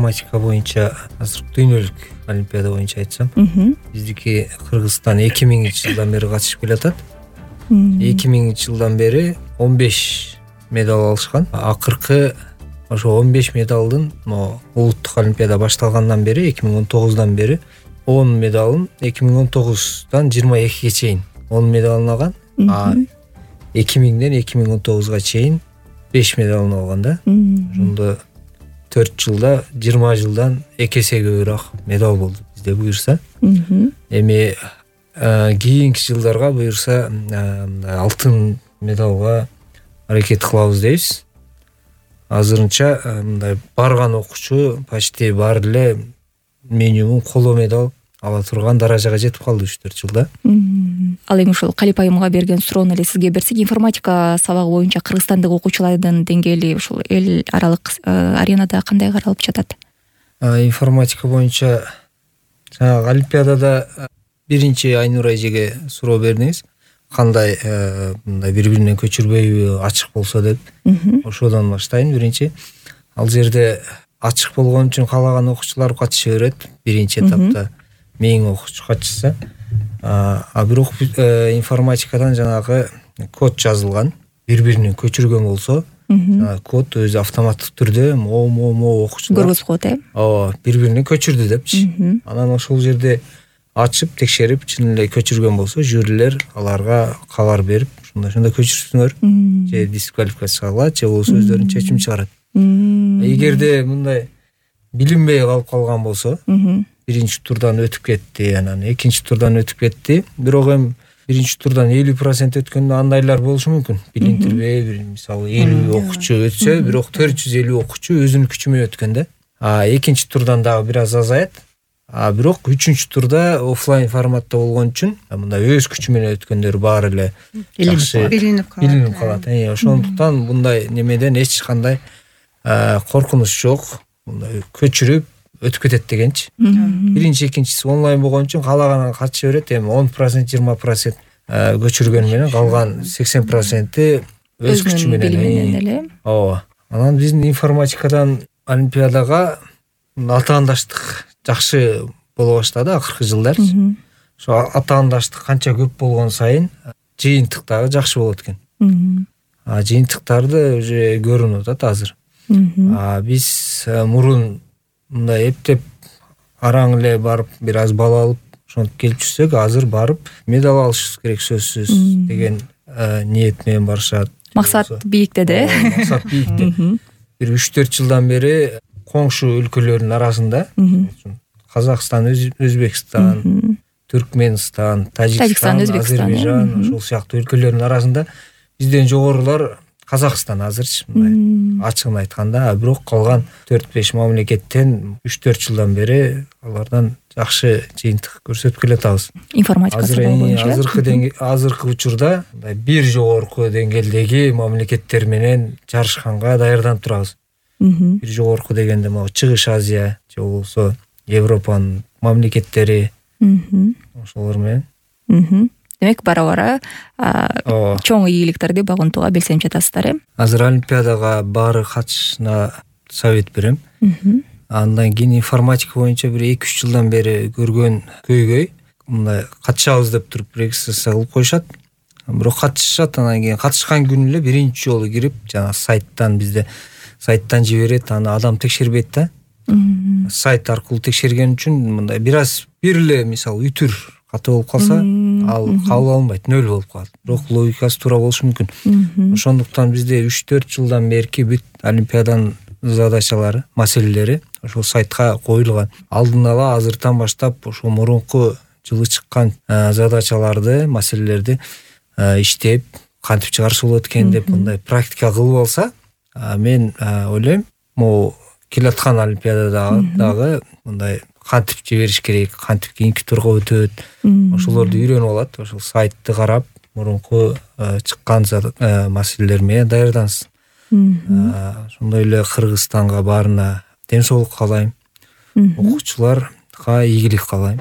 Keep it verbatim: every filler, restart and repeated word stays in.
информатика боюнча азыр дүйнөлүк олимпиада боюнча айтсам, биздики Кыргызстан эки миңинчи жылдан бери катышып келатат. эки миңинчи жылдан бери он беш медаль алышкан. Акыркы ошо он беш медалдын улуттук олимпиада башталгандан бери эки миң он тогуздан бери он медалын эки миң он тогуздан жыйырма экиге чейин он медалын алган. А эки миңден эки миң он тогузга чейин беш медалын алган да. Ошондо төрт жылда жыйырма жылдан эки эсе көбүрөөк медаль болду бизде буюрса. Эми кийинки жылдарга буюрса алтын медалга аракет кылабыз дейбиз. Азырынча мындай барган окуучу почти баары эле минимум коло медаль ала турган даражага жетип калды үч төрт жылда. Ал эми ушул Калип айымга берген суроону эле сизге берсек, информатика сабагы боюнча кыргызстандык окуучулардын деңгээли ушул эл аралык аренада кандай каралып жатат? Информатика боюнча жанагы олимпиадада биринчи Айнура эжеге суроо бердиңиз. Кандай мындай бири-биринен көчүрбөйбү, ачык болсо деп. Ошодон баштайын. Биринчи ал жерде ачык болгон үчүн каалаган окуучулар катыша берет. Биринчи этапта миң окуучу катышса, а бирок информатикадан жанагы код жазылган. Бири-биринен көчүргөн болсо, код өзү автоматтык түрдө мо-мо-мо окуучулар көргөзүп коет, э? Ооба, бири-бирине көчүрдү депчи. Анан ошол жерде ачып, текшерип, чын эле көчүргөн болсо, жюрилер аларга кабар берип, ошондой-ошондой көчүрсүңөр, же дисквалификация кылат, же болбосо өздөрүнүн чечим чыгарат. Эгерде мындай билинбей калып калган болсо, биринчи турдан өтүп кетти, анан экинчи турдан өтүп кетти. Бирок эми биринчи турдан элүү процент өткөндө андайлар болушу мүмкүн. Билинтирбей, бир мисалы элүү окуучу өтсө, бирок төрт жүз элүү окуучу өзүнүн күчү менен өткөн да. А экинчи турдан дагы бир аз азаят. А бирок үчүнчү турда офлайн форматта болгон үчүн мындай өз күчү менен өткөндөр баары эле жакшы билинип калат. Ошондуктан мындай немеден эч кандай коркунуч жок. Мындай көчүрүп өтүп кетет дегенчи. Биринчи, экинчиси онлайн болгон үчүн каалаган катыша берет. Эми он процент, жыйырма процент көчүргөн менен калган сексен проценти өз күчү менен эле. Ооба. Анан биздин информатикадан олимпиадага атаандаштык жакшы боло баштады акыркы жылдар. Ошо атаандаштык канча көп болгон сайын жыйынтык дагы жакшы болот экен. А жыйынтыктарды уже көрүнүп атат азыр. А биз мурун мындай эптеп араң эле барып бир аз бал алып ошентип келип жүрсөк, азыр барып медаль алышыбыз керек сөзсүз деген ниет менен барышат. Максат бийикте да, э? Максат бийикте. Бир үч төрт жылдан бери коңшу өлкөлөрдүн арасында Казакстан, Өзбекстан, Түркменстан, Тажикстан, Азербайжан, ошол сыяктуу өлкөлөрдүн арасында бизден жогорулар Казакстан азырчы, мындай ачыгын айтканда. А бирок калган төрт беш мамлекеттен үч төрт жылдан бери алардан жакшы жыйынтык көрсөтүп келатабыз. Информатика боюнча. Азыркы азыркы учурда бир жогорку деңгээлдеги мамлекеттер менен жарышканга даярданып турабыз. Бир жогорку дегенде могу Чыгыш Азия же болбосо Европанын мамлекеттери ошолор менен. Демек бара-бара чоң ийгиликтерди багынтууга белсенип жатасыздар, э? Азыр олимпиадага баары катышына совет берем. Андан кийин информатика боюнча бир эки үч жылдан бери көргөн көйгөй мындай катышабыз деп туруп регистрация кылып коюшат. Бирок катышышат, анан кийин катышкан күнү эле биринчи жолу кирип, жана сайттан бизде сайттан жиберет, аны адам текшербейт да. Сайт аркылуу текшерген үчүн мындай бир аз бир эле мисалы үтүр каты болуп калса, ал кабыл алынбайт, нөл болуп калат. Бирок логикасы туура болушу мүмкүн. Ошондуктан бизде үч төрт жылдан берки бүт олимпиаданын задачалары, маселелери ошол сайтка коюлган. Алдын ала азыртан баштап ошол мурунку жылы чыккан задачаларды, маселелерди иштеп, кантип чыгарса болот экен деп мындай практика кылып алса, мен ойлойм, могу келаткан олимпиадада дагы мындай кантип жибериш керек, кантип кийинки турга өтөт, ошолорду үйрөнүп алат. Ошол сайтты карап, мурунку чыккан маселелер менен даярдансын. Ошондой эле Кыргызстанга баарына ден соолук каалайм, окуучуларга ийгилик каалайм.